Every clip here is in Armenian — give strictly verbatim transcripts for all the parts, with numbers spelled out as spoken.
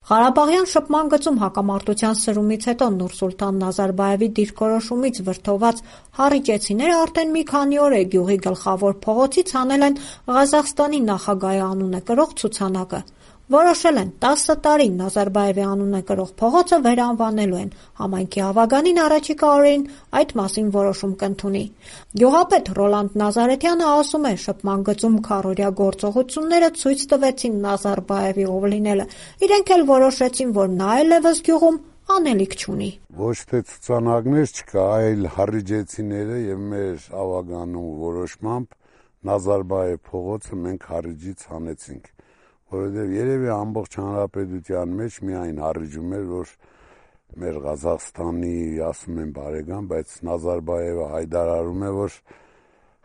Ղարաբաղյան շփման գծում հակամարտության սրումից հետո Նուրսուլտան Նազարբաևի դիրքորոշումից վրդոված հառիճեցիները արդեն մի քանի օր է գյուղի գլխավոր փողոցից հանել են Ղազախստանի նախագահի անունը կրող ցուցանակը։ Որոշել են տասը տարի Նազարբաևի անունը կրող փողոցը վերանվանելու են, համայնքի ավագանին առաջիկա օրերին այդ մասին որոշում կընդունի։ Գյուղապետ Ռոլանդ Նազարեթյանը ասում է, շփման գծում քառօրյա գործողությունները ցույց տվեցին Նազարբաևի ով լինելը, իրենք էլ որոշեցին, որ նա այլևս գյուղում անելիք չունի։ Ոչ թե ցուցանակներ չկա, այլ հառիջեցիները եւ մեր ավագանու որոշմամբ Նազարբաև փողոցը մենք հառիջից հանեցինք, որովհետեւ երևի ամբողջ հանրապետության մեջ միայն հառիջում էր, որ մեր Ղազախստանի, ասում են բարեկամ, բայց Նազարբաևը հայտարարում է, որ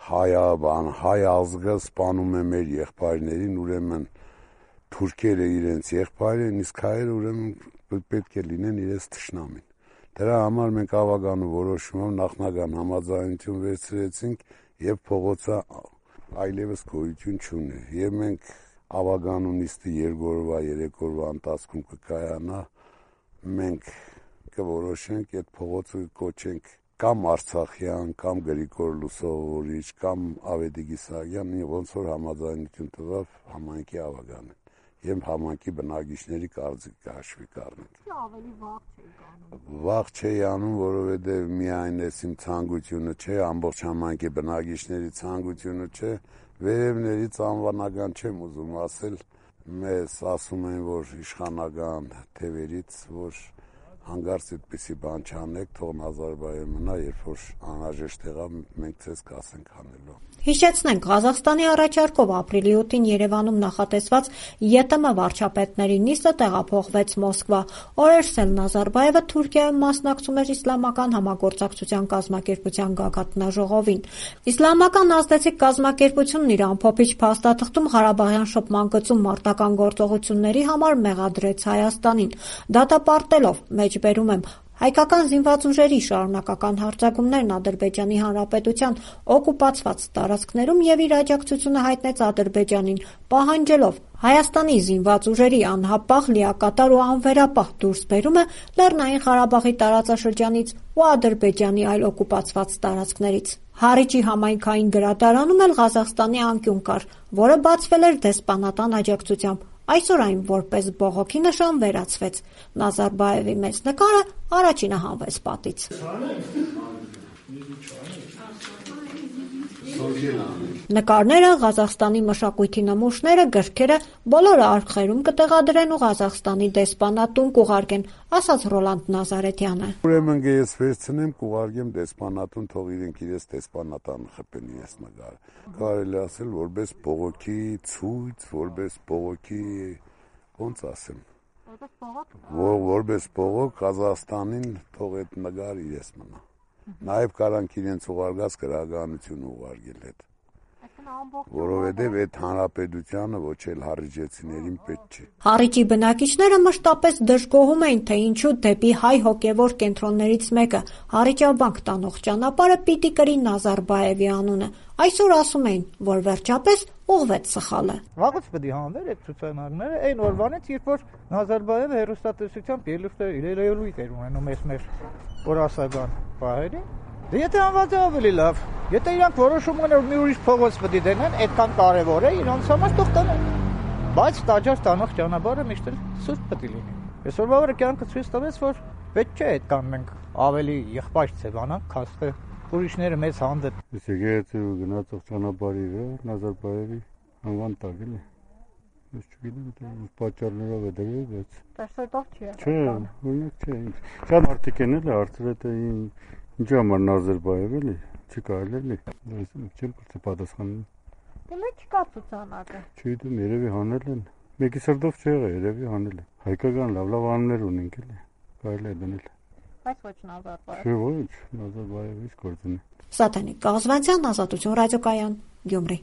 հայա բան, հայ ազգը սպանում է մեր եղբայրներին, ուրեմն թուրքերը իրենց եղբայր են, իսկ հայերը ուրեմն պետք է լինեն իրենց թշնամին։ Դրա համար մենք ավագանու որոշումով նախնական համաձայնություն վերցրեցինք եւ փողոցը այլևս գոյություն չունի։ Եվ մենք ավագանու նիստի երկօրվա, երեկօրվա ընթացքում կկայանա, մենք կորոշենք այդ փողոցը կոչենք կամ Արցախյան, կամ Գրիգոր Լուսավորիչ, կամ Ավետիք Իսահակյան, ոնց որ համաձայնություն տվավ համայնքի ավագանը եւ համայնքի բնակիչների կարծիքը հաշվի կառնենք։ Ավելի վաղ չէի անում։ Վաղ չէի անում, որովհետեւ միայն էս իմ ցանկությունը չէ, ամբողջ համայնքի բնակիչների ցանկությունը չէ, վերևներից անվանական չեմ ուզում ասել, մեզ ասում են, որ իշխանական թևերից, որ հանգարց այդպիսի բան չանեք, թող Նազարբաևը մնա, երբ որ անհրաժեշտ եղավ, մենք ցես կասենք հանելու։ Հիշեցնենք, Ղազախստանի առաջարկով ապրիլի ութին Երևանում նախատեսված ԵՏՄ վարչապետների նիստը տեղափոխվեց Մոսկվա։ Օրերս էլ Նազարբաևը Թուրքիայում մասնակցում էր Իսլամական համագործակցության կազմակերպության գագաթնաժողովին։ Իսլամական ազդեցիկ կազմակերպությունն իր ամփոփիչ փաստաթղթում Ղարաբաղյան շփման գծում մարտական գործողությունների համար մեղադրեց Հայաստանին, դատապարտելով, մեջբերում եմ, հայկական զինված ուժերի շարունակական հարձակումներն Ադրբեջանի Հանրապետության օկուպացված տարածքներում եւ իր աջակցությունը հայտնեց Ադրբեջանին, պահանջելով Հայաստանի զինված ուժերի անհապաղ, լիակատար ու անվերապահ դուրսբերումը Լեռնային Ղարաբաղի տարածաշրջանից ու Ադրբեջանի այլ օկուպացված տարածքներից։ Հառիջի համայնքային գրադարանում էլ Ղազախստանի անկյուն կար, որը բացվել էր դեսպանատան աջակցությամբ։ Այսօր այն որպես բողոքի նշան վերածվեց։ Նազարբաևի մեծ նկարը առաջինը հանվեց պատից։ Նկարները, Ղազախստանի մշակույթի նմուշները, գրքերը բոլորը արխիվում կտեղադրեն ու Ղազախստանի դեսպանատուն կուղարկեն, ասաց Ռոլանդ Նազարեթյանը։ Ուրեմն ես վերցնեմ, կուղարկեմ դեսպանատուն, թող իրենք իրենց դեսպանատան խփեն իրենց նկարը։ Կարելի ասել որպես բողոքի ցույց, որպես բողոքի, ոնց ասեմ, որպես բողոք Ղազախստանին թող այդ նկարը իրենց մնա։ Նաև կարանք իրենց ուղարկած գրականություն ուղարկել հետ, որովհետև այդ հանրապետությանը ոչ էլ հառիջեցիներին պետք չէ։ Հառիջի բնակիչները մշտապես դժգոհում էին, թե ինչու դեպի հայ հոգևոր կենտրոններից մեկը Հառիջաբանք տանող ճանապարհը պիտի կրի Նազարբաևի անունը։ Այսօր ասում էին, որ վերջապես ուղղվեց սխալը։ Վաղուց պետք է հանվեր այդ ցուցանակները այն օրվանից, երբ որ Նազարբաևը հերոստատեսությամբ ելույթ ելույթ էր ունենում այս մեր օրասական պահերին։ Դե եթե անված է ավելի լավ, եթե իրանք որոշում ունեն, որ մի ուրիշ փողոց պետք է դնեն, այդքան կարևոր է, իրանց համար թող տանեն։ Բայց տաճար տանող ճանապարհը միշտ էլ սուրբ պետք է լինի։ Այսօրվա օրը կյանքը ցույց տվեց, որ պետք չէ այդքան մենք ավելի եղբայր ձևանանք, քան թե ուրիշները մեզ հանդեպ։ Իսկ եթե գնացող ճանապարհի վրա Նազարբաևի անվան տակ էլի։ Ես չգիտեմ, թե պատճառներով է դրել, բայց Տեսետով չի։ Չէ, օրինակ չէ։ Շատ մարդիկ են էլ հարցրել, թե ինչու համար Նազարբաև էլի, չի կարելի էլի։ Չեմ կրծի պատասխանել։ Դե մեկ չկա ցուցանակը։ Չգիտեմ, երևի հանել են։ Մեկի սրտով չի եղել, երևի հանել են։ Հայկական լավ լավ անուններ ունենք էլի, կարելի է դնել։ Բայց ոչ Նազարբաև։ Չէ, ոչ, Նազարբաևից գործն է։ Սաթենիկ Կազվանցյան, Ազատություն ռադիոկայան, Գյումրի։